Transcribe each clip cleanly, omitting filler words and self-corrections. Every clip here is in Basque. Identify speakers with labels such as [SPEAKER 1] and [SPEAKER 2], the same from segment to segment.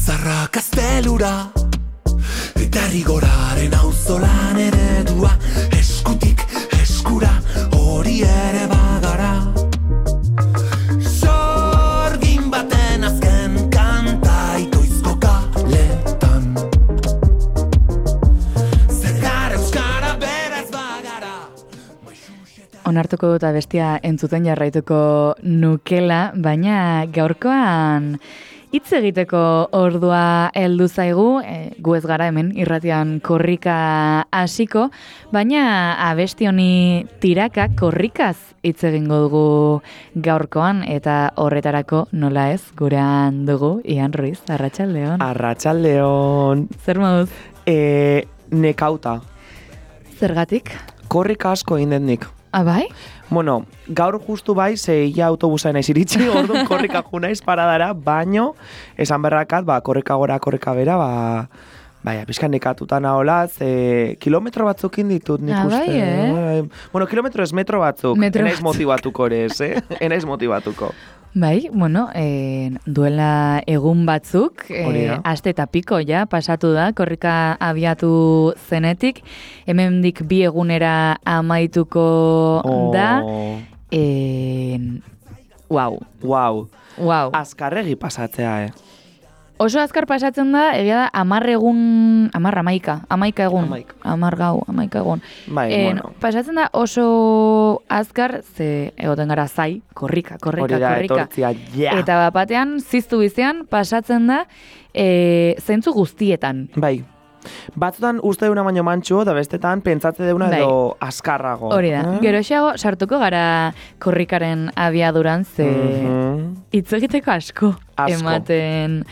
[SPEAKER 1] Zarra kastelura eta rigoraren auzolan eredua, eskutik eskura hori ere bagara. Sorgin baten azken kanta itoizko kaletan, zergar euskara beraz bagara.
[SPEAKER 2] Onartuko dut abestia entzuten jarraituko nukela, baina gaurkoan hitz egiteko ordua heldu zaigu, gu ez gara hemen irratian korrika hasiko, baina abesti honi tiraka korrikaz hitz egingo dugu gaurkoan, eta horretarako nola ez gurean dugu Ian Ruiz. Arratsaldeon.
[SPEAKER 3] Arratsaldeon.
[SPEAKER 2] Zer moduz?
[SPEAKER 3] Nekauta.
[SPEAKER 2] Zergatik?
[SPEAKER 3] Korrika asko egin dut nik.
[SPEAKER 2] Bai?
[SPEAKER 3] Bueno, gaur justu bai, ze ia autobusa naiz iritsi, orduan korrika ju naiz paradara, baino, esan berrakat, korrika gora, korrika bera, pixkan nekatuta naholaz, kilometro batzukin ditut nik uste.
[SPEAKER 2] Bai,
[SPEAKER 3] Bueno, kilometro ez metro batzuk, enaiz motibatuko ere ez, enaiz motibatuko.
[SPEAKER 2] Bai, bueno, duela egun batzuk, aste eta piko ja, pasatu da, korrika abiatu zenetik, hemendik 2 egunera amaituko da. Wow.
[SPEAKER 3] Azkarregi pasatzea,
[SPEAKER 2] Oso azkar pasatzen da, egia da, 11 egun. 11 egun.
[SPEAKER 3] Bai, bueno.
[SPEAKER 2] Pasatzen da oso azkar, ze egoten gara zai, korrika.
[SPEAKER 3] Etortzia, ja.
[SPEAKER 2] Eta batean, ziztu bizian, pasatzen da, zentzu guztietan.
[SPEAKER 3] Bai. Batzutan uste duna baino mantxo, da bestetan pentsatze deuna edo azkarrago.
[SPEAKER 2] Hori da. Geroxeago sartuko gara korrikaren abiaduran, ze hitz egiteko asko ematen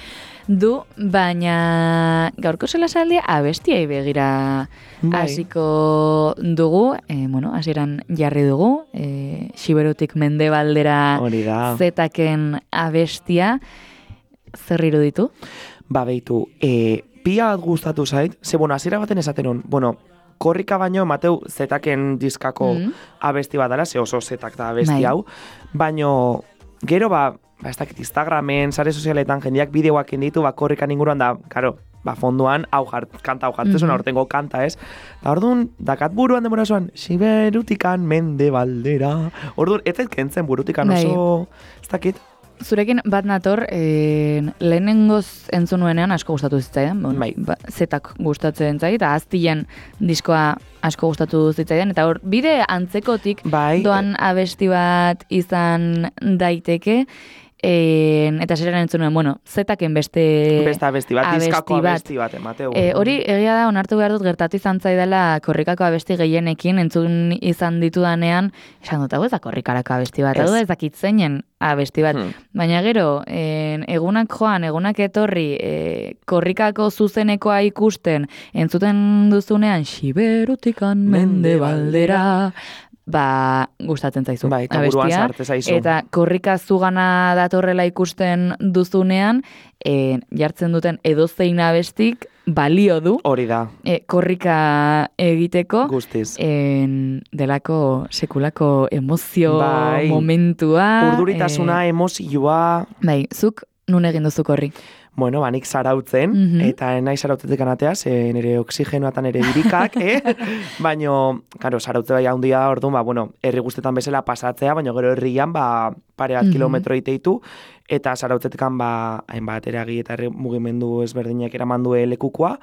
[SPEAKER 2] du, baina gaurko solasaldia abestiai begira hasiko dugu, hasieran jarri dugu, Xiberutik Mendebaldera zetaken abestia, zer iruditu?
[SPEAKER 3] Beitu, pila bat gustatu zait, ze hasiera baten esaten hon, korrika baino emateu zetaken diskako abesti bat dela, ze oso zetak da abesti hau, baino gero ez dakit Instagramen, sare sozialetan jendeak bideoak inditu, korrikan inguruan da, karo, fonduan, kanta hau jartzezun, aurtengo kanta ez. Da orduan, dakat buruan demora zoan, Xiberutikan Mendebaldera. Orduan, ez kentzen burutikan oso, ez dakit.
[SPEAKER 2] Zurekin bat nator, lehenengoz entzun nuenean asko gustatu zitzaidan, zetak gustatzen zait, eta aztilen diskoa asko gustatu zitzaidan, eta hor, bide antzekotik doan abesti bat izan daiteke, eta zeran entzun nuen, zetaken beste
[SPEAKER 3] abesti bat, diskako abesti bat emateu.
[SPEAKER 2] Hori, egia da, onartu behar dut gertatu izan zaidala korrikako abesti gehienekin, entzun izan ditudanean, esan dut, ez da korrikarako abesti bat, ez dakit zeinen abesti bat. Baina gero, egunak joan, egunak etorri, korrikako zuzenekoa ikusten, entzuten duzunean, Xiberutikan Mendebaldera, gustatzen zaizu abestia, eta korrika zugana datorrela ikusten duzunean, jartzen duten edozein abestik balio du.
[SPEAKER 3] Hori da.
[SPEAKER 2] Korrika egiteko.
[SPEAKER 3] Guztiz.
[SPEAKER 2] Delako sekulako emozio momentua.
[SPEAKER 3] Urduritasuna, emozioa.
[SPEAKER 2] Zuk nun egin duzu korri?
[SPEAKER 3] Bueno, nik zarautzen, eta nahi zarautzetik anatea, nire oksigenoa eta nire birikak, baino, karo, zarautze bai handia orduan, herri guztetan bezala pasatzea, baino gero herrian, pare bat kilometro iteitu, eta zarautzetikan, hainbat eragi eta mugimendu ezberdinak eramandu lekukoa,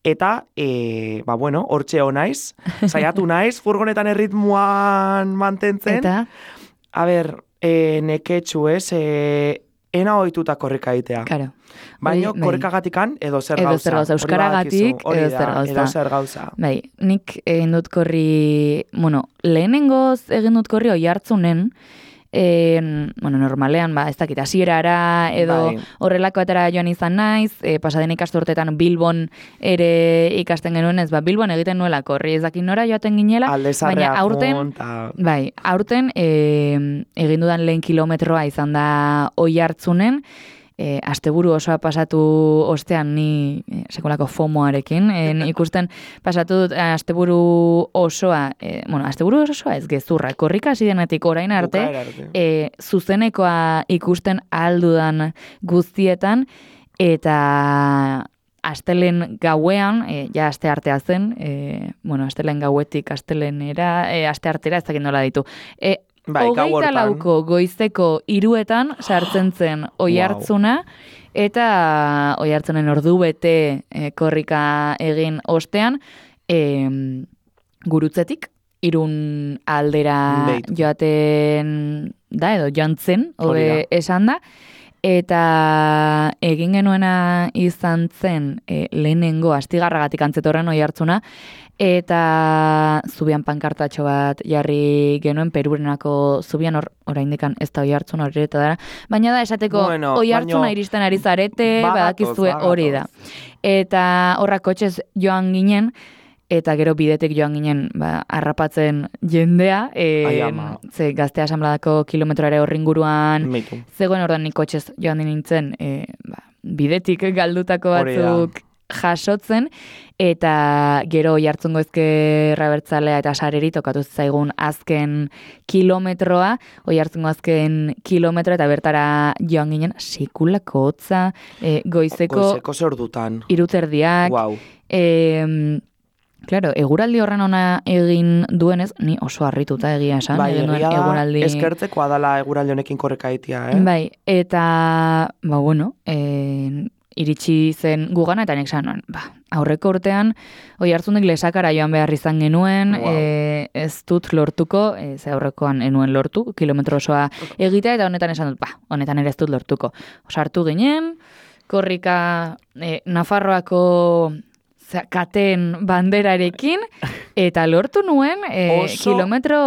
[SPEAKER 3] eta, hortxe honaiz, saiatu naiz, furgonetan erritmuan mantentzen.
[SPEAKER 2] Eta?
[SPEAKER 3] Neketxu ena ohituta korrika egitea.
[SPEAKER 2] Claro.
[SPEAKER 3] Baina korrikagatikan edo zer gauza.
[SPEAKER 2] Euskaragatik
[SPEAKER 3] edo zer gauza.
[SPEAKER 2] Nik egin dut korri, lehenengoz egin dut korri Oiartzunen, normalean, ez dakit, hasierara edo horrelako atera joan izan naiz, pasaden ikasturtetan Bilbon ere ikasten genuen ez, Bilbon egiten nuela korri, ez dakit nora joaten ginela, baina aurten egin dudan lehen kilometroa izan da Oiartzunen, asteburu osoa pasatu ostean ni sekolako FOMOarekin, ikusten pasatu dut asteburu osoa, asteburu osoa ez gezurra, korrika hasi denetik orain arte, zuzenekoa ikusten aldudan guztietan, eta astelen gauean, ja aste artea zen, astelen gauetik astelenera, aste artera ez dakit nola ditu. Hogeita lauko goizeko 3:00 sartzen zen Oiartzuna, eta Oiartzunen ordu bete korrika egin ostean, Gurutzetik, Irun aldera joaten da, edo jantzen, hobe esan da, eta egin genuena izan zen lehenengo astigarragatik antzetorren Oiartzuna, eta zubian pankartatxo bat jarri genuen Perurenako zubian, oraindikan ez da Oiartzuna hori eta dara, baina da esateko Oiartzuna iristen ari zarete, badakizue hori da. Eta horra kotxez joan ginen, eta gero bidetik joan ginen harrapatzen jendea, ze Gazte Asanbladako kilometroare horringuruan, zegoen ordan nik kotxez joan nintzen, bidetik galdutako batzuk jasotzen, eta gero Oiartzungo Ezkerra Abertzalea eta Sareri tokatu zaigun azken kilometroa, Oiartzungo azken kilometroa, eta bertara joan ginen sekulako hotza, goizeko
[SPEAKER 3] zerdutan.
[SPEAKER 2] 3:30.
[SPEAKER 3] Wow.
[SPEAKER 2] Claro, eguraldi horren ona egin duenez, ni oso harrituta egia esan.
[SPEAKER 3] Bai, egia da, eskertzekoa dala eguraldi honekin korreka egitea,
[SPEAKER 2] Bai, eta, iritsi zen gugana, eta nek esan, aurreko urtean, Oiartzunek Lesakara joan behar izan genuen, ez dut lortuko, ze aurrekoan enuen lortu, kilometro osoa egitea, eta honetan esan dut, honetan ere ez dut lortuko. Sartu ginen, korrika Nafarroako katen banderarekin, eta lortu nuen kilometro...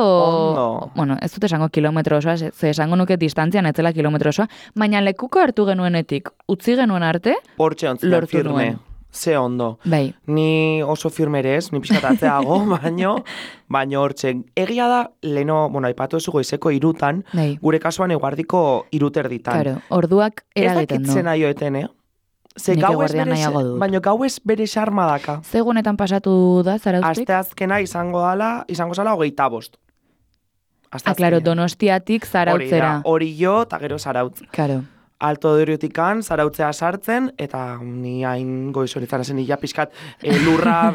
[SPEAKER 2] ez dut esango kilometro osoa, ze esango nuke distantzian etzela kilometro osoa, baina lekuko hartu genuenetik, utzi genuen arte, lortu nuen.
[SPEAKER 3] Ze ondo.
[SPEAKER 2] Bai.
[SPEAKER 3] Ni oso firmerez, ni pixkatatzeago, baino hortxe. Egia da, leno, aipatu ez goizeko 3:00, gure kasuan eguardiko 3:30.
[SPEAKER 2] Claro, orduak eragiten du.
[SPEAKER 3] Ez dakit aioeten, Ze baina gau ez bere xarma daka.
[SPEAKER 2] Zegunetan pasatu da, Zarautzik?
[SPEAKER 3] Asteazkena izango zala 25.
[SPEAKER 2] Claro, Donostiatik Zarautzera.
[SPEAKER 3] Hori jo, eta gero Zarautz.
[SPEAKER 2] Claro.
[SPEAKER 3] Alto Doriutikan, Zarautzea sartzen, eta ni hain goizoritzan ezen ila pixkat lurra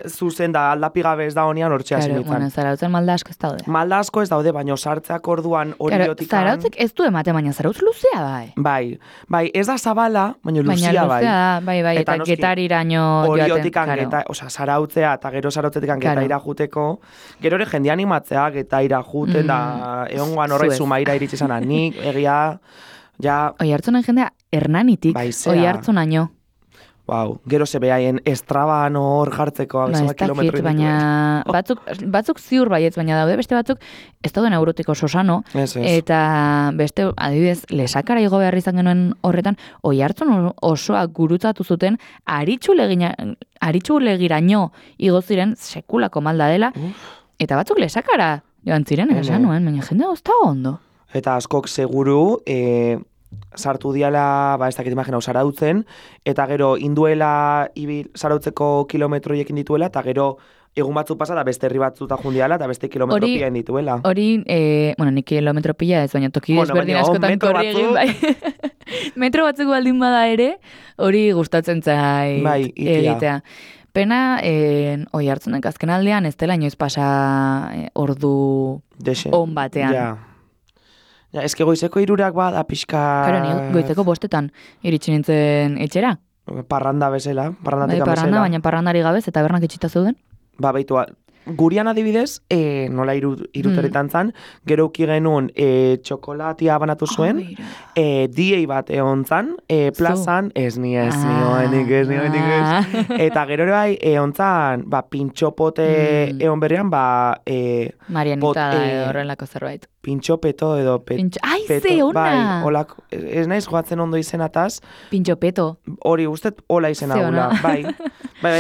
[SPEAKER 3] zuzen da aldapigabe ez da honian hortxea zen ditzen.
[SPEAKER 2] Zarautzen malda asko ez daude.
[SPEAKER 3] Malda asko ez daude, baina sartzeak orduan Oriotikan...
[SPEAKER 2] Zarautzik ez du emate, baina Zarautz luzea bai.
[SPEAKER 3] Bai, ez da zabala, baina luzea bai.
[SPEAKER 2] Bai, eta Getariraino joaten.
[SPEAKER 3] Oriotikan Zarautzea, eta gero Zarautzetikan Getaira juteko, gero ere jende animatzea Getaira juten, da egongoan horre Zumaira iritsi zana, nik egia...
[SPEAKER 2] Oiartzunen jendea Hernanitik, Oiartzunaino.
[SPEAKER 3] Gero ze behaien estraban hor jartzeko kilometro.
[SPEAKER 2] Baina batzuk ziur baietz, baina daude beste batzuk ez dauden eurotiko sosano, eta beste, adibidez, Lesakara igo behar izan genuen horretan, Oiartzun osoa gurutzatu zuten, aritxulegiraino igo ziren sekulako malda dela, eta batzuk Lesakara joan ziren, esan nuen, baina jendea ozta ondo.
[SPEAKER 3] Eta askok seguru, sartu diala, ez dakit imaginau, Zarautzen, eta gero induela Zarautzeko kilometroiekin dituela, eta gero egun batzu pasa da beste herri batzuta jundiala, eta beste kilometro pila dituela.
[SPEAKER 2] Hori, nik kilometro pila ez, baina toki desberdin askotan korri egin, bai. Metro batzuk baldin bada ere, hori gustatzen zai egitea. Pena, Oiartzunek azken aldean ez dela inoiz pasa ordu on batean.
[SPEAKER 3] Eske goizeko 3:00 bada pixka...
[SPEAKER 2] Karo, ni goizeko 5:00 iritsi nintzen etxera.
[SPEAKER 3] Parranda bezala, parrandatik bezala.
[SPEAKER 2] Baina parrandari gabez eta bernak itxita zeuden.
[SPEAKER 3] Baitu, gurian adibidez, nola 3:00 zan, gero uki genuen txokolatia banatu zuen, diei bat egon zan, plazan, ez nioenik. Eta gero ere bai, egon zan, pintxopote egon berrean,
[SPEAKER 2] Marianita da horrelako zerbait.
[SPEAKER 3] Pintxopeto edo
[SPEAKER 2] Ai, ze ona!
[SPEAKER 3] Ez naiz joatzen ondo izenataz.
[SPEAKER 2] Pintxopeto.
[SPEAKER 3] Hori, ustez, hola izena gula. Bai,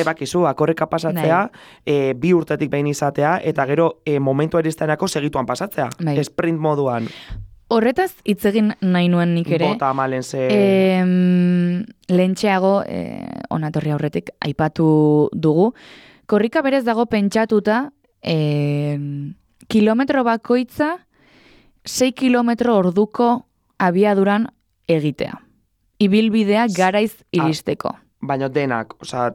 [SPEAKER 3] bakizu, akorreka pasatzea, 2 urtetik behin izatea, eta gero momentu eristenako segituan pasatzea. Sprint moduan.
[SPEAKER 2] Horretaz, itzegin nahi nuen nik ere.
[SPEAKER 3] Bota amalen ze...
[SPEAKER 2] Lentxeago, onatorri aurretik, aipatu dugu. Korrika berez dago pentsatuta, kilometro bakoitza, 6 kilometro orduko abiaduran egitea. ibilbidea garaiz iristeko.
[SPEAKER 3] Baina denak, osea,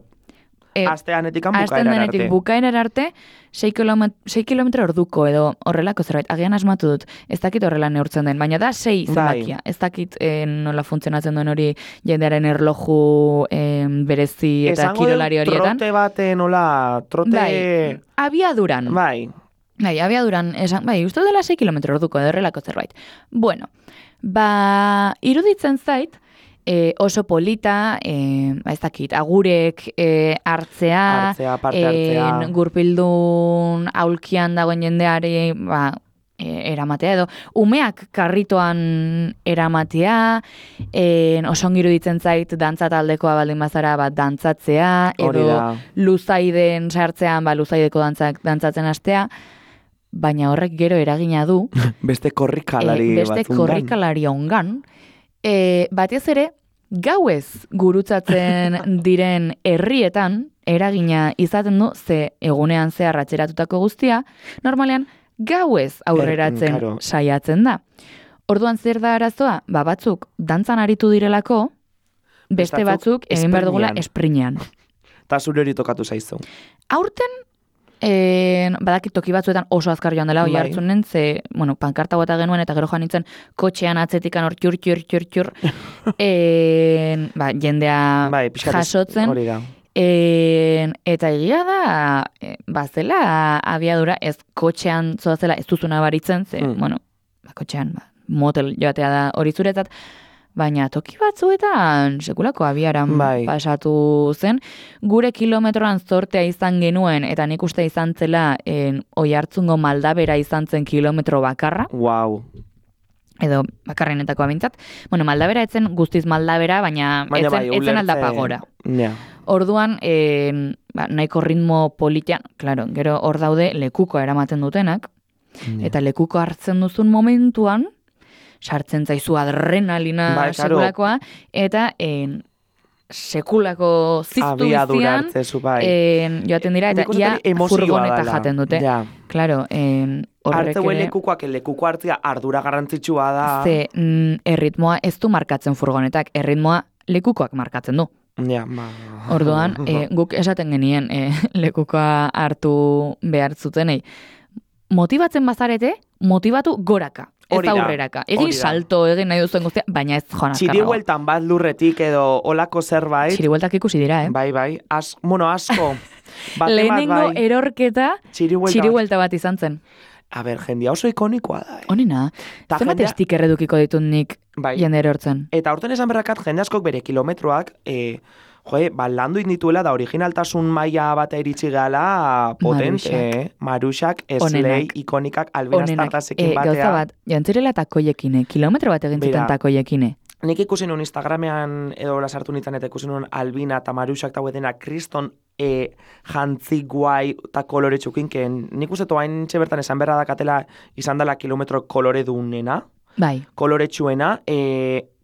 [SPEAKER 3] asteanetikan bukaerar arte.
[SPEAKER 2] Bukaerar arte, 6 kilometro orduko edo horrelako zerbait. Agian asmatu dut, ez dakit horrela neurtzen den, baina da 6 zenbakia. Ez dakit nola funtzionatzen duen hori jendearen erloju berezi eta kirolari horietan.
[SPEAKER 3] Trote baten, trote...
[SPEAKER 2] Bai, abiaduran.
[SPEAKER 3] Bai,
[SPEAKER 2] abiaduran, uste dela 6 kilometro orduko edo horrelako zerbait. Bueno, iruditzen zait, oso polita, ez dakit, agurek hartzea,
[SPEAKER 3] parte hartzea.
[SPEAKER 2] Gurpildun aulkian dagoen jendeari, eramatea edo, umeak karritoan eramatea, oso ongi iruditzen zait, dantza taldekoa baldin bazara, dantzatzea, edo luzaiden sartzean, luzaideko dantzatzen hastea, baina horrek gero eragina du.
[SPEAKER 3] Beste korrikalari
[SPEAKER 2] ongan. Batez ere, gauez gurutzatzen diren herrietan eragina izaten du, ze egunean zehar atxeratutako guztia, normalean gauez aurreratzen saiatzen da. Orduan zer da arazoa? Batzuk dantzan aritu direlako, beste batzuk egin behar dugula esprinean.
[SPEAKER 3] Ta zure hori tokatu zaizu.
[SPEAKER 2] Aurten, badakit toki batzuetan oso azkar joan dela, oi hartzunen, ze, pankarta guata genuen, eta gero joan nintzen kotxean atzetikan hor txur, jendea jasotzen.
[SPEAKER 3] Hori da.
[SPEAKER 2] Eta egia da, bazela abiadura, ez kotxean zoazela ez duzuna baritzen, ze, kotxean motel joatea da hori zuretzat, baina toki batzuetan sekulako abiaran pasatu zen. Gure kilometroan zortea izan genuen, eta nik uste izan zela Oiartzungo Maldabera izan zen kilometro bakarra.
[SPEAKER 3] Wow.
[SPEAKER 2] Edo bakarrenetako abintzat. Maldabera etzen guztiz Maldabera, baina etzen aldapagora. Orduan, nahiko ritmo politian, claro, gero hor daude lekuko eramaten dutenak, eta lekuko hartzen duzun momentuan, sartzen zaizu adrenalina sekulakoa, eta sekulako ziztu bizian joaten dira, eta ia furgoneta jaten dute. Claro,
[SPEAKER 3] hartzeuen lekuko hartzea ardura garrantzitsua da.
[SPEAKER 2] Ze erritmoa ez du markatzen furgonetak, erritmoa lekukoak markatzen du. Orduan, guk esaten genien lekukoa hartu behar zutenei. Motibatzen bazarete, motibatu goraka. Ez aurreraka. Egin salto, egin nahi duzuen guztia, baina ez joan azkarrago.
[SPEAKER 3] Txiribueltan bat lurretik edo olako zerbait.
[SPEAKER 2] Txiribueltak ikusi dira,
[SPEAKER 3] Bai. Asko.
[SPEAKER 2] Lehenengo erorketa txiribuelta bat izan zen.
[SPEAKER 3] A ber, jendia oso ikonikoa da.
[SPEAKER 2] Honena, zenbat sticker edukiko ditut nik jende erortzen.
[SPEAKER 3] Eta aurten esan berrakat, jende askok bere kilometroak, landu indituela da originaltasun maila bat iritsi gala potente, Maruxak, Slay, ikonikak, Albina Startasekin batea.
[SPEAKER 2] Gauza bat, jantzirela takoiekine, kilometro bat egin zuten takoiekine.
[SPEAKER 3] Nik ikusi nun Instagramean edo lasartu nintzen eta ikusi nun Albina eta Maruxak eta huetena kriston jantzi guai eta kolore txukinken. Nik uste toain bertan esan berra dakatela izan dela kilometro kolore dunena.
[SPEAKER 2] Bai.
[SPEAKER 3] Kolore txuena,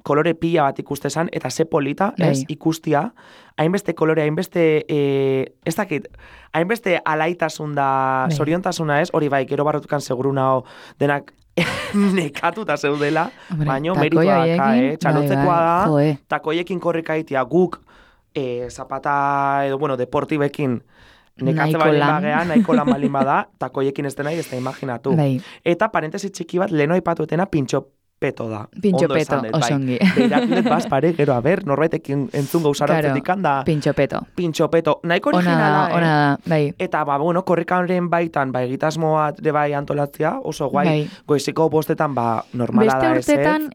[SPEAKER 3] kolore pila bat ikustezan, eta ze polita, ez, ikustia, hainbeste kolore, hainbeste, ez dakit, hainbeste alaitasun da, zoriontasuna ez, hori bai, gero barrotukan seguru nao denak nekatuta zeudela, baino meritoa daka, txalotzekoa da, takoiekin korrika itia guk, zapata edo, deportibekin, nekatze balin bagea, nahiko lan balin bada, takoiekin ez dena, ez da imaginatu. Eta parentesi txiki bat, leno aipatuetena pintxo peto da.
[SPEAKER 2] Pintxo peto, osongi.
[SPEAKER 3] Beirakilet bazpare, gero, norbaitek entzun gauzarantzetik handa.
[SPEAKER 2] Pintxo peto.
[SPEAKER 3] Pintxo peto. Nahiko originala,
[SPEAKER 2] ona da, bai.
[SPEAKER 3] Eta, korrikaren baitan, egitasmoa bai antolatzea, oso guai, goiziko bostetan, normala da ez.
[SPEAKER 2] Beste urtetan,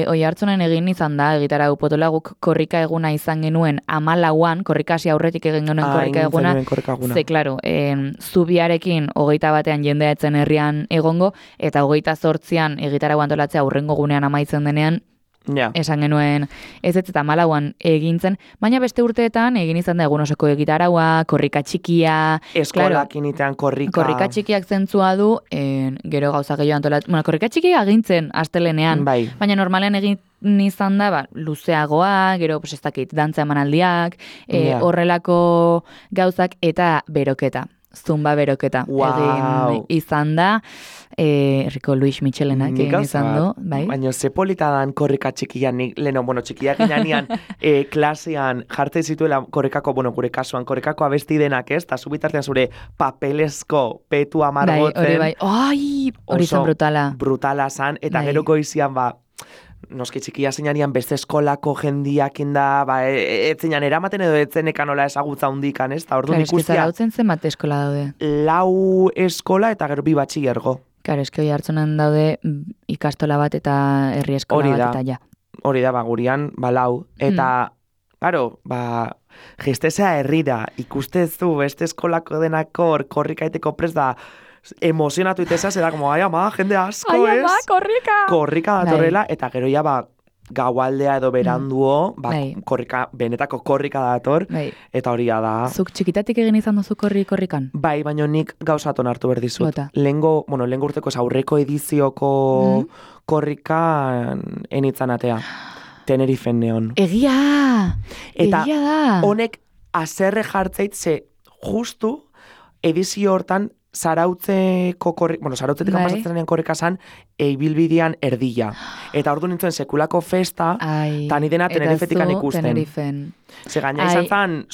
[SPEAKER 2] Oiartzunen egin izan da, egitarau potola guk korrika eguna izan genuen 14an, korrikasi aurretik egin genuen korrika eguna. Ze, klaro, zubiarekin 21ean jendea etzen herrian egongo, eta 28an egitarau antolatzea aurrengo gunean amaitzen denean, esan genuen ez eta 14an egintzen, baina beste urteetan egin izan da egun osoko egitaraua, korrika txikia,
[SPEAKER 3] eskolak initean
[SPEAKER 2] korrika txikiak zentzua du, gero gauza gehiago antolatzen, korrika txikia egintzen astelenean, baina normalean egin izan da, luzeagoa, gero, ez dakit, dantza emanaldiak, horrelako gauzak eta beroketa. zumba beroketa egin izan da, Erriko Luis Michelenak egin izan du, bai.
[SPEAKER 3] Baina ze polita dan korrika txikian, leno, txikia ginean klasean jartzen zituela korrikako, gure kasuan, korrikako abesti denak ez, eta subitartean zure papelezko petu amargotzen.
[SPEAKER 2] Bai, hori zan brutala.
[SPEAKER 3] Brutala zan, eta gero goizian, noski txikia zeinanian beste eskolako jendiak inda, ez zeinan eramaten edo etzenekan nola ezagutza hundikan, ez? Ta orduan ikustia.
[SPEAKER 2] Claro, zarautzen zenbat eskola daude?
[SPEAKER 3] 4 eskola eta gero 2 batxilergo.
[SPEAKER 2] Claro, eske hoi hartzunan daude ikastola bat eta herri eskola bat eta ja.
[SPEAKER 3] Hori da, gurian, 4. Eta, claro, gestezea herrira, ikustezu beste eskolako denako korrikaiteko prest da, emozionatu iteza, zera como, ai ama, jende asko, ez?
[SPEAKER 2] Ai ama, korrika!
[SPEAKER 3] Korrika datorrela, eta gero ja, gaualdea edo beranduo, benetako korrika dator, eta hori da.
[SPEAKER 2] Zuk txikitatik egin izan duzu korrikan?
[SPEAKER 3] Bai, baina nik gauzaton hartu berdizut. Lehengo urteko aurreko edizioko korrikan enitzan atea. Tenerifen neon.
[SPEAKER 2] Egia da!
[SPEAKER 3] Eta honek azerre jartzeit ze justu edizio hortan zarautzeko zarautzetik pasatzen denean korrika zan ibilbidean erdila. Eta ordu nintzen sekulako festa, eta ni dena Tenerifetikan ikusten.
[SPEAKER 2] Tenerifen.
[SPEAKER 3] Ze gaina izan zan,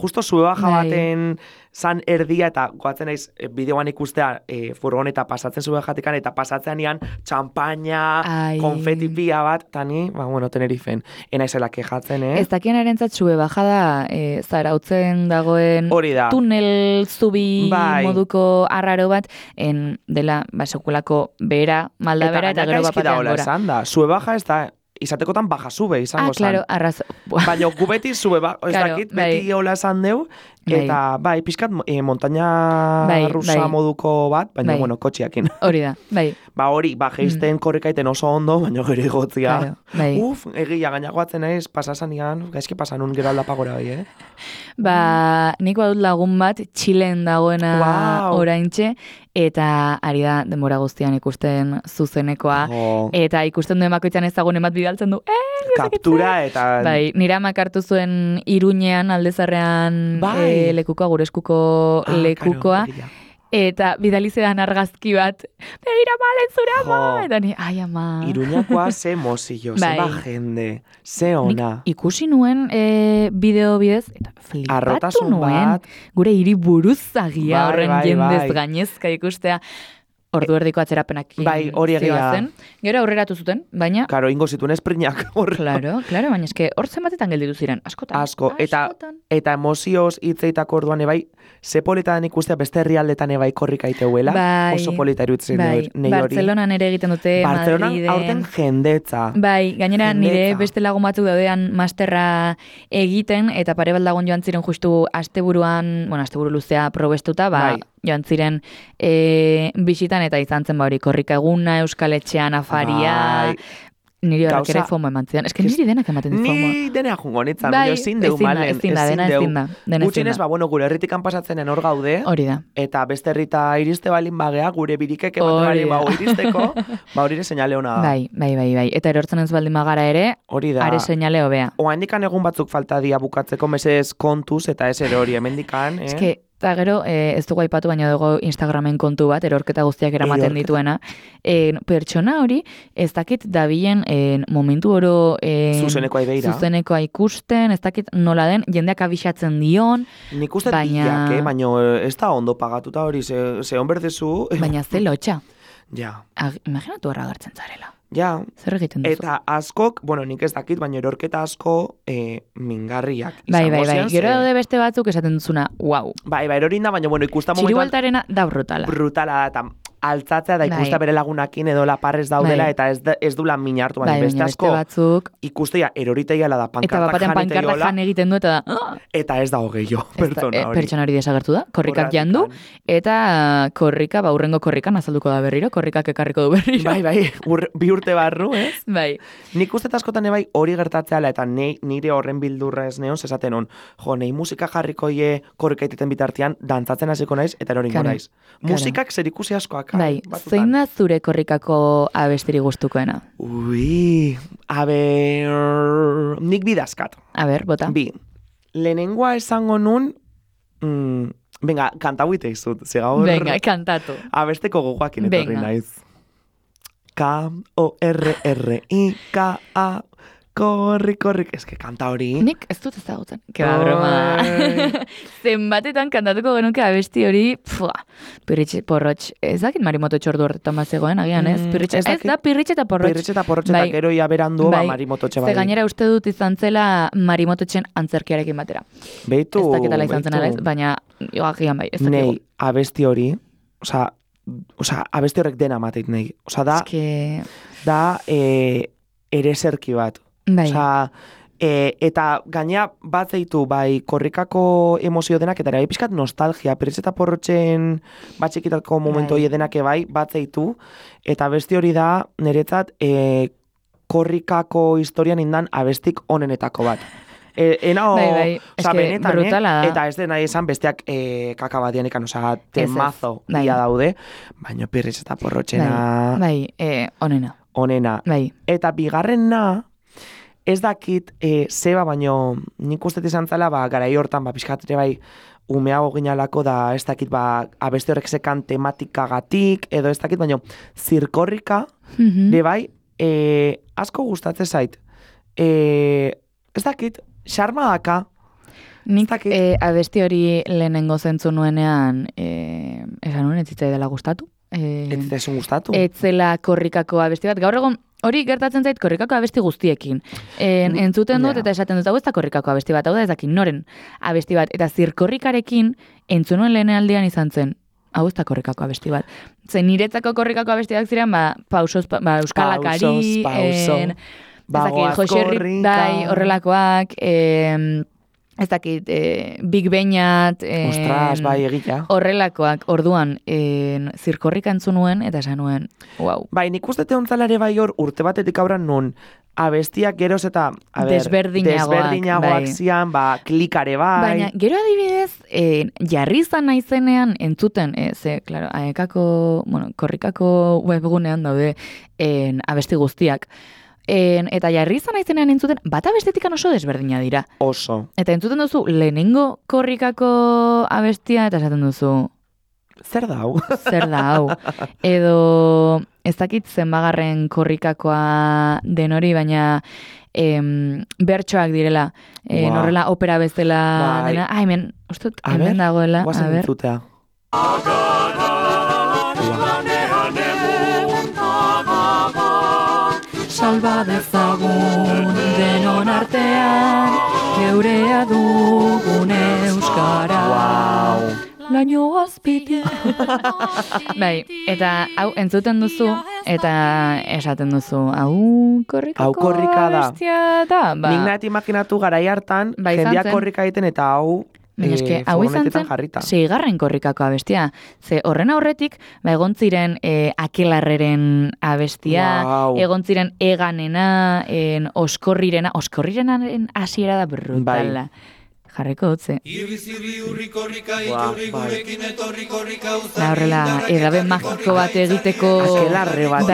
[SPEAKER 3] justo Suebaja baten zan erdia, eta goatzen naiz bideoan ikustea furgoneta pasatzen Suebajatikan, eta pasatzean ian txampaina, konfeti pila bat, eta ni, Tenerifen. Ena izela kejatzen,
[SPEAKER 2] Ez dakien erentzat Suebaja da, zarautzen dagoen tunel zubi moduko arraro bat, dela sekulako bera, malda bera, eta gero bapatean gora.
[SPEAKER 3] Suebaja ez da, izatekotan baja sube izango zan.
[SPEAKER 2] Claro, arrazo.
[SPEAKER 3] Baina gubeti sube, ez dakit, beti hola esan deu, eta pixkat montaña rusa moduko bat, baina kotxiakin.
[SPEAKER 2] Hori da, bai.
[SPEAKER 3] Hori, geizten korrikaiten oso ondo, baina gero igotzia. Egia, gainagoatzen naiz, pasasanian, gaizki pasanun gero aldapagora bai,
[SPEAKER 2] nik badut lagun bat, Txilen dagoena oraintxe, eta ari da denbora guztian ikusten zuzenekoa, eta ikusten duen bakoitzan ezagun emat bidaltzen du,
[SPEAKER 3] kaptura eta...
[SPEAKER 2] Bai, nira makartu zuen Iruñean, Aldezarrean lekukoa, gure eskuko lekukoa, eta bidalizean argazki bat, begira malen zure ama, eta ni, ai ama.
[SPEAKER 3] Iruñakoa ze mozillo, ze jende, ze ona.
[SPEAKER 2] Nik ikusi nuen bideo bidez, eta flipatu nuen, gure hiri buruzagia horren jendez gainezka ikustea. Ordu erdiko atzerapenak zioazen. Gero aurreratu zuten, baina...
[SPEAKER 3] Karo, ingo zituen esprinak.
[SPEAKER 2] Claro, baina eske hor zenbatetan gelditu ziren, askotan.
[SPEAKER 3] Asko, eta emozioz hitzeitako orduan ebai, ze politadan ikustea beste herrialdetan ebai korrika iteuela, oso polita irutzen nei hori.
[SPEAKER 2] Bartzelonan ere egiten dute, Madriden.
[SPEAKER 3] Bartzelonan aurten jendetza.
[SPEAKER 2] Bai, gainera nire beste lagun batzuk daudean masterra egiten, eta pare bat lagun joan ziren justu asteburu luzea probestuta, joan ziren bisitan, eta izan zen hori korrika eguna, Euskal Etxean afaria, niri horrek ere FOMO eman zidan. Ez que niri denak ematen dit FOMO.
[SPEAKER 3] Ni denea jungo nitzan, ezin deu malen.
[SPEAKER 2] Ezin da.
[SPEAKER 3] Gutxinez, gure herritikan pasatzenen hor gaude,
[SPEAKER 2] hori da.
[SPEAKER 3] Eta beste herrita iriste balin bagea, gure birikek ematen bali iristeko, hori ere seinale hona da.
[SPEAKER 2] Bai. Eta erortzen ez baldin bagara ere, are seinale hobea.
[SPEAKER 3] Oaindikan egun batzuk falta dia bukatzeko mesez kontuz, eta ez ere hori hemendikan.
[SPEAKER 2] Eta gero, ez dugu aipatu, baina dugu Instagramen kontu bat, erorketa guztiak eramaten dituena. Pertsona hori, ez dakit dabilen momentu oro zuzenekoa ikusten, ez dakit nola den, jendeak abixatzen dion.
[SPEAKER 3] Nik uste diak, baina ez da ondo pagatuta hori, ze hon berdezu.
[SPEAKER 2] Baina ze lotxa.
[SPEAKER 3] Ja.
[SPEAKER 2] Imaginatu horra gartzen zarela.
[SPEAKER 3] Ja.
[SPEAKER 2] Zer egiten duzu?
[SPEAKER 3] Eta askok, nik ez dakit, baina erorketa asko mingarriak.
[SPEAKER 2] Bai. Gero daude beste batzuk esaten duzuna, wow.
[SPEAKER 3] Bai, erorin da, baina ikusta momentuan...
[SPEAKER 2] Txiribueltarena da brutala.
[SPEAKER 3] Brutala da, eta altzatzea da ikusta bere lagunakin edo laparrez daudela, eta ez du lan mina hartu, baina beste asko
[SPEAKER 2] batzuk...
[SPEAKER 3] ikustea eroriteia da, pankartak
[SPEAKER 2] jan egiten du, eta da...
[SPEAKER 3] Eta ez da hogeio, pertsona hori.
[SPEAKER 2] Pertsona hori desagertu da, korrikak jandu, eta korrika, urrengo korrikan azalduko da berriro, korrikak ekarriko du berriro.
[SPEAKER 3] Bai, bi urte barru, ez?
[SPEAKER 2] Bai.
[SPEAKER 3] Nik uste askotan ebai hori gertatzeala, eta nire horren bildurra ez neon, zezaten hon, nei musika jarriko korrika iteten bitartean, dantzatzen hasiko naiz, eta eroringo naiz. Musikak zer ikusi askoak.
[SPEAKER 2] Bai, zein da zure korrikako abestiri gustukoena?
[SPEAKER 3] Nik bidazkat.
[SPEAKER 2] Bota.
[SPEAKER 3] Lehenengoa esango nun, Venga, kanta huite izut, ze gaur...
[SPEAKER 2] Venga, kantatu.
[SPEAKER 3] Abesteko gogoakin etorri naiz. K-O-R-R-I-K-A Korri, eske kanta hori.
[SPEAKER 2] Nik ez dut ezagutzen. Keba broma. Zenbatetan kantatuko genuke abesti hori, Pirritxe porrotx. Ez dakit marimoto txordu horretan bat zegoen, agian ez? Ez da pirritxe eta porrotx.
[SPEAKER 3] Pirritxe eta porrotx eta gero ia berandu marimoto txe bai.
[SPEAKER 2] Ze gainera uste dut izan zela marimoto txen antzerkiarekin batera.
[SPEAKER 3] Beitu.
[SPEAKER 2] Ez dakitala izan zen ez, baina agian bai, ez dakigu.
[SPEAKER 3] Nei, abesti hori, abesti horrek dena mateit nei. Da ereserki bat.
[SPEAKER 2] Bai.
[SPEAKER 3] Eta gaina bat zeitu bai korrikako emozio denak eta bai pixkat nostalgia, Pirritxe eta porrotxen batxekitako momentu hori denak bai bat zeitu, eta abesti hori da niretzat korrikako historian indan abestik onenetako bat. Benetan,
[SPEAKER 2] brutala da.
[SPEAKER 3] Eta ez dena esan besteak kaka bat dianikan, temazo dia daude, baina Pirritxe eta porrotxena...
[SPEAKER 2] Onena.
[SPEAKER 3] Onena. Eta bigarrena... Ez dakit, zeba, baino nik ustet izan zela, garai hortan, pixkatere bai, umeago ginalako da, ez dakit, abeste horrek sekan tematikagatik, edo ez dakit, baino, zirkorrika, bai, asko gustatzen zait. Ez dakit, xarma daka.
[SPEAKER 2] Nik abesti hori lehenengo zentzu nuenean, esan nuen, ez zitzai dela gustatu.
[SPEAKER 3] Ez zitzai gustatu? Ez
[SPEAKER 2] zela korrikako abesti bat. Gaur egon, hori gertatzen zait korrikako abesti guztiekin. Entzuten dut eta esaten dut, hau ez da korrikako abesti bat, hau da ez dakin noren abesti bat. Eta zirkorrikarekin entzunuen lehenaldean izan zen, hau ez da korrikako abesti bat. Zen niretzako korrikako abestiak ziren, pausos, euskalakari, Joserri, bai, horrelakoak, ez dakit, Big Beñat,
[SPEAKER 3] ostras, bai, egita.
[SPEAKER 2] Horrelakoak, orduan, zirkorrika entzunuen, eta esan nuen, wow.
[SPEAKER 3] Bai, nik uste teontzalare bai hor, urte batetik aurran nun, abestiak geroz eta, desberdinagoak zian, klikare bai.
[SPEAKER 2] Baina, gero adibidez, jarri izan naizenean entzuten, klaro, korrikako webgunean daude, abesti guztiak, eta jarri izan aizenean entzuten, bat abestetikan oso desberdina dira.
[SPEAKER 3] Oso.
[SPEAKER 2] Eta entzuten duzu, lehenengo korrikako abestia, eta esaten duzu...
[SPEAKER 3] Zer da hau?
[SPEAKER 2] Zer da hau. Edo, ez dakit zenbagarren korrikakoa den hori, baina bertsoak direla. Norrela opera bezala dena. Hemen, ustut, hemen dagoela.
[SPEAKER 3] Guazen entzutea.
[SPEAKER 2] Salba dezagun denon artean, geurea dugun euskara. Laino azpiti. Bai, eta hau entzuten duzu, eta esaten duzu, hau korrika da.
[SPEAKER 3] Nik nahet imaginatu garai hartan, jendeak korrika egiten eta hau...
[SPEAKER 2] Hau izan zen, 6. korrikako abestia. Ze horren aurretik, egon ziren Akelarreren abestia, egon ziren Eganena, oskorrirenaren hasiera da brutala. Jarriko dutze. Horrela, edabe magiko bat egiteko...
[SPEAKER 3] Akelarre bat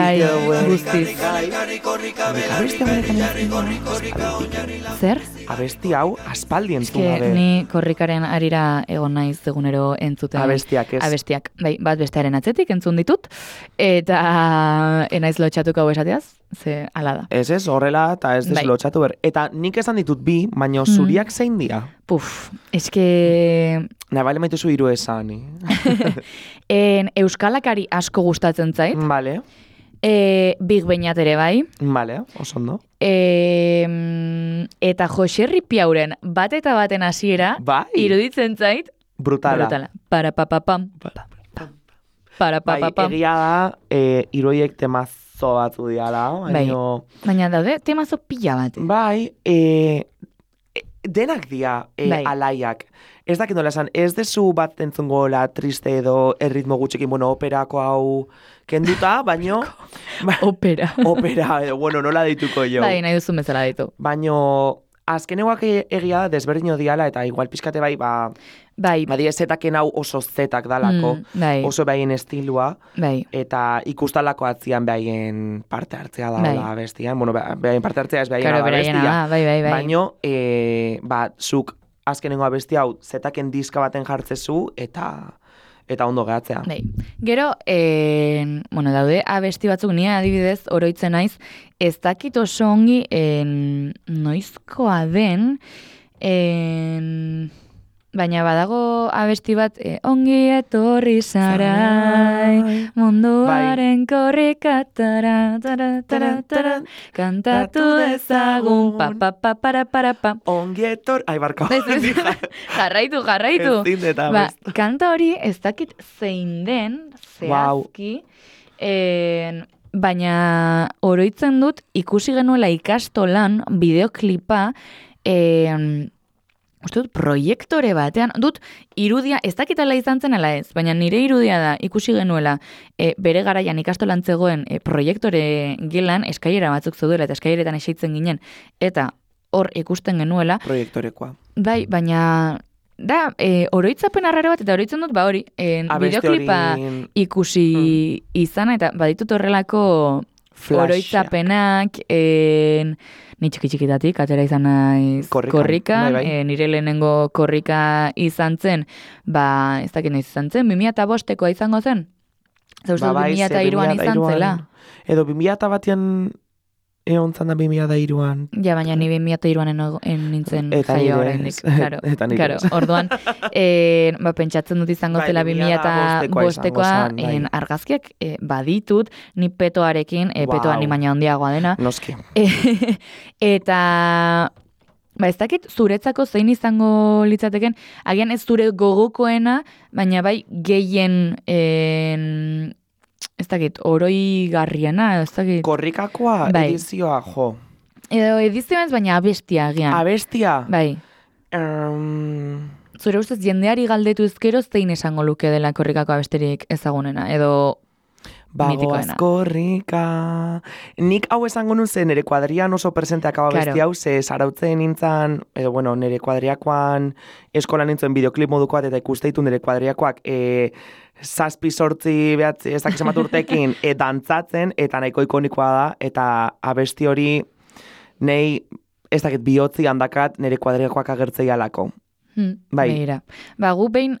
[SPEAKER 2] guztiz. Zer?
[SPEAKER 3] Abesti hau aspaldi entzun gabe.
[SPEAKER 2] Ni korrikaren arira egon naiz egunero entzuten.
[SPEAKER 3] Abestiak, ez?
[SPEAKER 2] Abestiak. Bai, bat bestearen atzetik entzun ditut. Eta enaiz lotxatuko hau esateaz, ze ala da.
[SPEAKER 3] Ez, horrela eta ez deslotxatu ber. Eta nik esan ditut bi, baina zuriak zein dira?
[SPEAKER 2] Eske...
[SPEAKER 3] Nabale maituzu hiru esan.
[SPEAKER 2] Euskalakari asko gustatzen zait.
[SPEAKER 3] Vale.
[SPEAKER 2] Big Beñat ere bai.
[SPEAKER 3] Vale, oso ondo.
[SPEAKER 2] Eta Joserri Piauren bat eta baten hasiera iruditzen zait.
[SPEAKER 3] Brutala.
[SPEAKER 2] Para papapam.
[SPEAKER 3] Bai, egia da, iroiek temazo batzu diala.
[SPEAKER 2] Baina daude, temazo pila bat.
[SPEAKER 3] Bai, denak dia alaiak. Ez dakit nola esan, ez dezu bat entzungo la triste edo erritmo gutxekin, operako hau kenduta, baino...
[SPEAKER 2] Opera,
[SPEAKER 3] nola dituko jo.
[SPEAKER 2] Bai, nahi duzun bezala ditu.
[SPEAKER 3] Baino, azkeneguak egia da, desberdino diala, eta igual pixkate bai, badia zetaken hau oso zetak dalako, oso behaien estilua, eta ikustalako atzian behaien parte hartzea da bestian, behaien parte hartzea ez behaien abestia,
[SPEAKER 2] baino,
[SPEAKER 3] zuk azkenengo abesti hau zetaken diska baten jartzezu eta ondo gehatzea.
[SPEAKER 2] Bai. Gero, bueno, daude abesti batzuk, ni adibidez oroitzen naiz, ez dakit oso ongi noizkoa den, baina badago abesti bat, ongi etorri zarai, munduaren korrika, kantatu dezagun, pa.
[SPEAKER 3] Ongi etorri, barka.
[SPEAKER 2] Jarraitu. Kanta hori ez dakit zein den, zehazki, baina oroitzen dut ikusi genuela ikastolan bideoklipa, uste dut, proiektore batean, dut irudia, ez dakitala izan zen ala ez, baina nire irudia da ikusi genuela bere garaian ikastolan zegoen proiektore gelan eskailera batzuk zeudela eta eskaileretan eseitzen ginen, eta hor ikusten genuela.
[SPEAKER 3] Proiektorekoa.
[SPEAKER 2] Bai, baina da, oroitzapen arraro bat, eta oroitzen dut, hori, bideoklipa ikusi izana, eta baditut horrelako oroitzapenak, ni txiki-txikitatik, atera izan naiz korrikan, nire lehenengo korrika izan zen, ez dakit nahiz izan zen, 2005koa izango zen? Zauztu 2003an izan zela?
[SPEAKER 3] Edo 2001an egon zan da 2003an.
[SPEAKER 2] Ja, baina ni 2003an nintzen jaio horreinik. Claro, orduan, pentsatzen dut izango zela 2005koa, argazkiak baditut, ni petoarekin, petoa ni baina handiagoa dena.
[SPEAKER 3] Noski.
[SPEAKER 2] Eta ez dakit zuretzako zein izango litzateken, agian ez zure gogokoena, baina bai gehien ez dakit, oroigarriena, ez dakit.
[SPEAKER 3] Korrikakoa edizioa, jo.
[SPEAKER 2] Edo edizioa ez, baina abestia agian.
[SPEAKER 3] Abestia?
[SPEAKER 2] Bai. Zure ustez, jendeari galdetu ezkero zein esango luke dela korrikako abesterik ezagunena, edo mitikoena.
[SPEAKER 3] Bagoaz korrika. Nik hau esango nun zen nire kuadrian oso presenteak hau abesti hau, ze zarautzen nintzen, edo bueno, nire kuadriakoan eskola nintzen bideoklip moduko bat, eta ikusteitu nire kuadriakoak 7-8 behatzi, ez dakiz urtekin, dantzatzen, eta nahiko ikonikoa da, eta abesti hori nei, ez dakit bihotzi handakat nire kuadriakoak agertzei alako. Bai.
[SPEAKER 2] Beira. Gu behin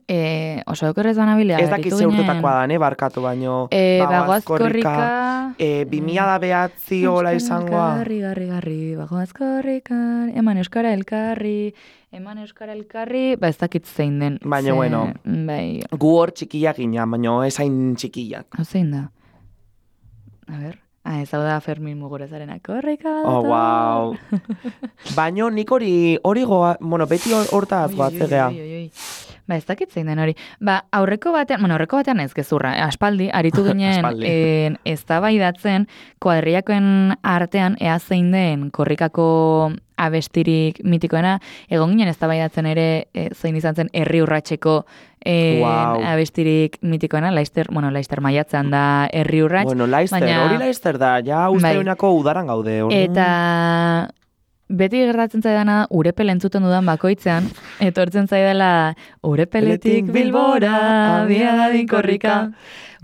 [SPEAKER 2] oso okerrez banabilea.
[SPEAKER 3] Ez dakit zeurtetakoa da, barkatu baino.
[SPEAKER 2] Bagoaz korrika.
[SPEAKER 3] 2000 da behatzi hola izangoa.
[SPEAKER 2] Garri, bagoaz korrika. Eman euskara elkarri. Ez dakit zein den.
[SPEAKER 3] Baina, bueno.
[SPEAKER 2] Bai.
[SPEAKER 3] Gu hor txikia gina, baina ez hain txikiak.
[SPEAKER 2] Hau zein da? A ber. Ez hau da Fermin Mugurezarena korrika.
[SPEAKER 3] Oh, wow. Baina nik hori goa, bueno, beti hortaz goatzegea.
[SPEAKER 2] Ez dakit zein den hori. Aurreko batean ez gezurra, aspaldi, aritu ginen eztabaidatzen kuadriakoen artean ea zein den korrikako abestirik mitikoena, egon ginen eztabaidatzen ere zein izan zen herri urratseko abestirik mitikoena, Laister maiatzean da herri urrats.
[SPEAKER 3] Bueno, hori Laister da, ja usteunako udaran gaude.
[SPEAKER 2] Eta beti gertatzen zaidana Urepel entzuten dudan bakoitzean, etortzen zaidala Urepeletik Bilbora, biadadin korrika.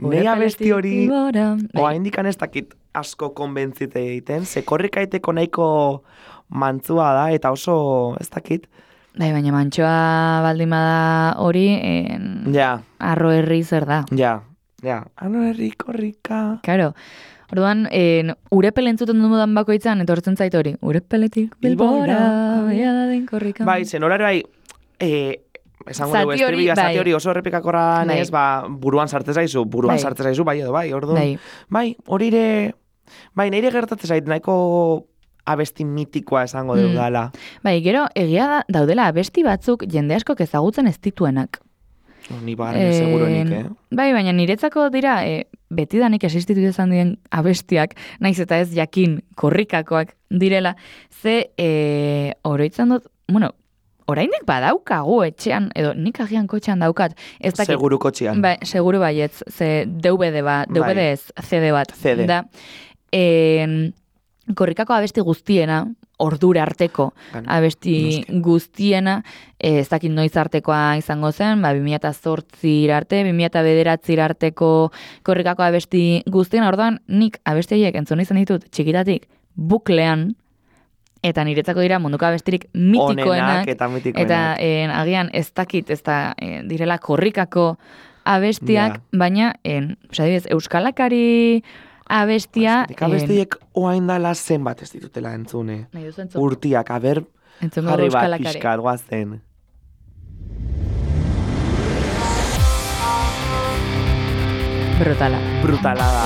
[SPEAKER 3] Nei abesti hori, oa indikan ez dakit asko konbentzite egiten, ze korrika eteko nahiko mantzua da, eta oso ez dakit.
[SPEAKER 2] Baina mantxoa baldin bada hori, arro herri zer da.
[SPEAKER 3] Ja, arro herri korrika.
[SPEAKER 2] Claro. Orduan, Urepel entzuten dudan bakoitzan, etortzen zait hori. Urepeletik Bilbora, biadadin korrika.
[SPEAKER 3] Bai, zen horari esango dugu estribia, zati hori oso errepikakorra ez, buruan sartzen zaizu, bai edo bai, orduan. Bai, hori nire gertatzen zait, nahiko abesti mitikoa esango dugu dala.
[SPEAKER 2] Bai, gero, egia daudela abesti batzuk jende askok ezagutzen ez dituenak.
[SPEAKER 3] Ni barren seguruenik,
[SPEAKER 2] Bai, baina niretzako dira, betidanik existitu izan diren abestiak, naiz eta ez jakin korrikakoak direla, ze oroitzen dut, bueno, oraindik badaukagu etxean, edo nik agian kotxean daukat.
[SPEAKER 3] Seguru kotxean.
[SPEAKER 2] Bai, seguru baietz, ze DVD ez, CD bat.
[SPEAKER 3] CD.
[SPEAKER 2] Da, korrikako abesti guztiena, ordura arteko abesti guztiena, ez dakit noiz artekoa izango zen, 2008 arte, 2009 arteko korrikako abesti guztiena, orduan nik abesti horiek entzun izan ditut txikitatik buklean, eta niretzako dira munduko abestirik mitikoenak.
[SPEAKER 3] Onenak eta mitikoenak.
[SPEAKER 2] Eta agian ez dakit, ez da direla korrikako abestiak, baina, adibidez, euskalakari abestia...
[SPEAKER 3] Abestiek oain dala zenbat ez ditutela entzune. Urtiak, aber, jarri bat pixkat guazen.
[SPEAKER 2] Brutala.
[SPEAKER 3] Brutala da.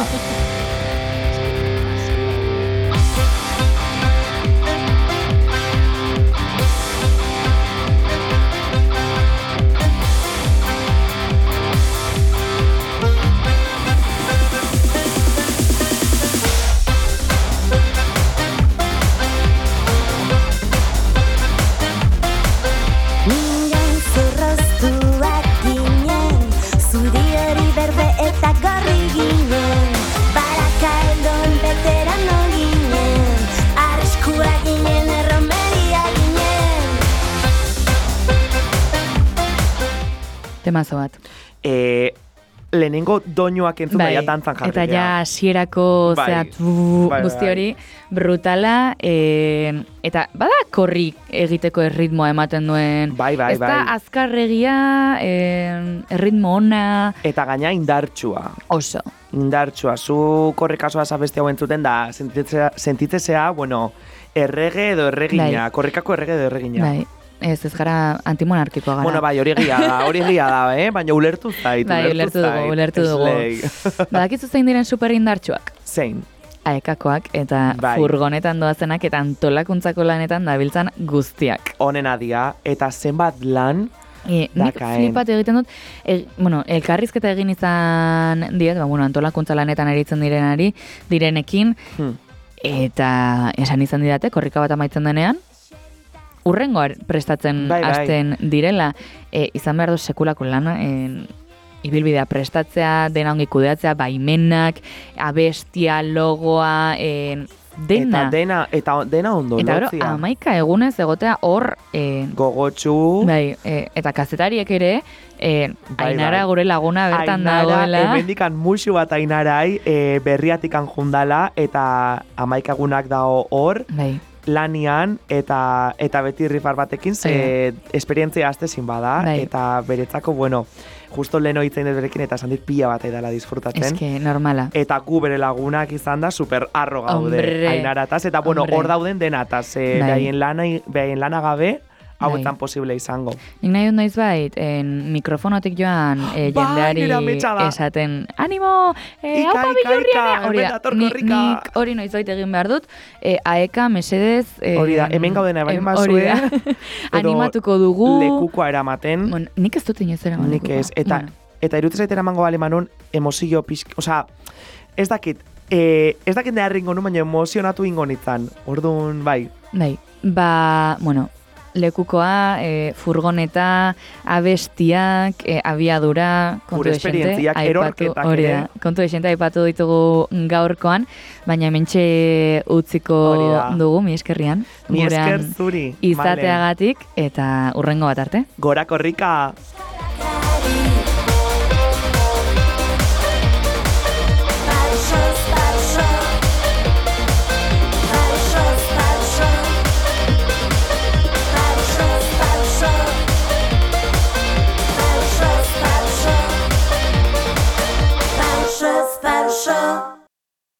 [SPEAKER 2] Temazo bat.
[SPEAKER 3] Lehenengo doinuak entzun daia dantzan jarri.
[SPEAKER 2] Eta ja hasierako guzti hori brutala, eta bada korri egiteko erritmoa ematen duen. Ez da azkarregia, erritmo ona.
[SPEAKER 3] Eta gaina indartsua.
[SPEAKER 2] Oso.
[SPEAKER 3] Indartsua. Zu korrikasoa zabeste hau entzuten da, sentitzea, bueno, errege edo erregina, korrikako errege edo erregina.
[SPEAKER 2] Bai. Ez gara antimonarkikoa gara.
[SPEAKER 3] Bueno, bai, hori egia da, baina ulertu zait.
[SPEAKER 2] Bai, ulertu dugu. Badakizu zein diren superindartsuak?
[SPEAKER 3] Zein?
[SPEAKER 2] Aekakoak eta furgonetan doazenak eta antolakuntzako lanetan dabiltzan guztiak.
[SPEAKER 3] Honena dia, eta zenbat lan
[SPEAKER 2] nik flipat egiten dut, elkarrizketa egin izan diet, antolakuntza lanetan eritzen direnekin, eta esan izan didate, korrika bat amaitzen denean, urrengoa prestatzen hasten direla, izan behar dut sekulako lana, ibilbidea prestatzea, dena ongi kudeatzea, baimenak, abestia, logoa, dena.
[SPEAKER 3] Eta dena ondo lotzia.
[SPEAKER 2] Eta gero, 11 egunez egotea hor...
[SPEAKER 3] Gogotsu.
[SPEAKER 2] Bai, eta kazetariek ere, Ainara gure laguna bertan dagoela.
[SPEAKER 3] Ainara, hemendikan musu bat Ainarai, berriatikan jundala, eta 11 egunak dago hor.
[SPEAKER 2] Bai.
[SPEAKER 3] Lanian eta beti rifar batekin esperientzia aztezin bada, eta beretzako, justo leheno hitzein dut berekin eta esan dit pila bat edala disfrutatzen.
[SPEAKER 2] Ez que normala.
[SPEAKER 3] Eta gu bere lagunak izan da super arro gaude Ainarataz, eta hor dauden denataz, behaien lana gabe, hauetan posible izango.
[SPEAKER 2] Nik nahi dut noiz bait, mikrofonotik joan jendeari esaten, animo, haupa bilurrian, hori da, nik hori noiz bait egin behar dut, aeka, mesedez,
[SPEAKER 3] hori da, hemen gaudena ebain bazue,
[SPEAKER 2] animatuko dugu,
[SPEAKER 3] lekukoa eramaten,
[SPEAKER 2] nik ez dut inoz eraman
[SPEAKER 3] lekukoa. Nik ez, eta irutzez aita eramango bale manon, emozio pixk, ez dakit neharringo nu, baina emozionatu ingo nitzan, orduan, bai.
[SPEAKER 2] Bai, lekukoa, furgoneta, abestiak, abiadura, kontu
[SPEAKER 3] esperientziak, erorketak ere.
[SPEAKER 2] Kontu esente aipatu ditugu gaurkoan, baina hementxe utziko dugu, mi eskerrian.
[SPEAKER 3] Mi esker zuri.
[SPEAKER 2] Izateagatik, eta urrengo bat arte.
[SPEAKER 3] Gora korrika!